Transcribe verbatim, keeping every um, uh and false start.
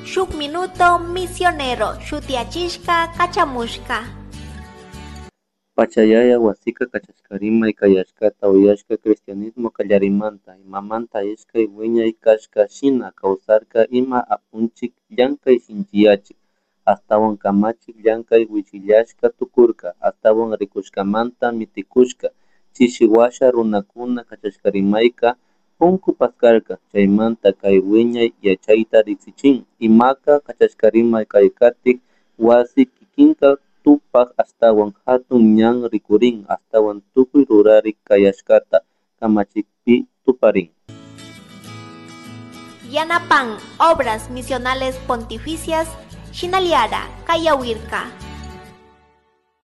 Shuk Minuto Misionero shutiyachishka kachamushka. Pachayaya wasika kachashkarimay kayashkata uyashka cristianismo kallarimanta imamanta ishkay wiñay kashka shina kawsarka ima apunchik llankay sinchiyachik ashtawan kamachik llankay wichillashka tukurka ashtawan rikushkamanta mitikushka chishi washa runakuna kachashkarimayka punku paskarka chaymanta kay wiñay yachayta riksichin imaka kachashkarimay kay katik wasi kikinka tupak ashtawan hatun ñan rikurin ashtawan tukuy rurarik kayashkata kamachikpi tuparin. Yanapan Obras Misionales Pontificias Shinaliara Kayawirka.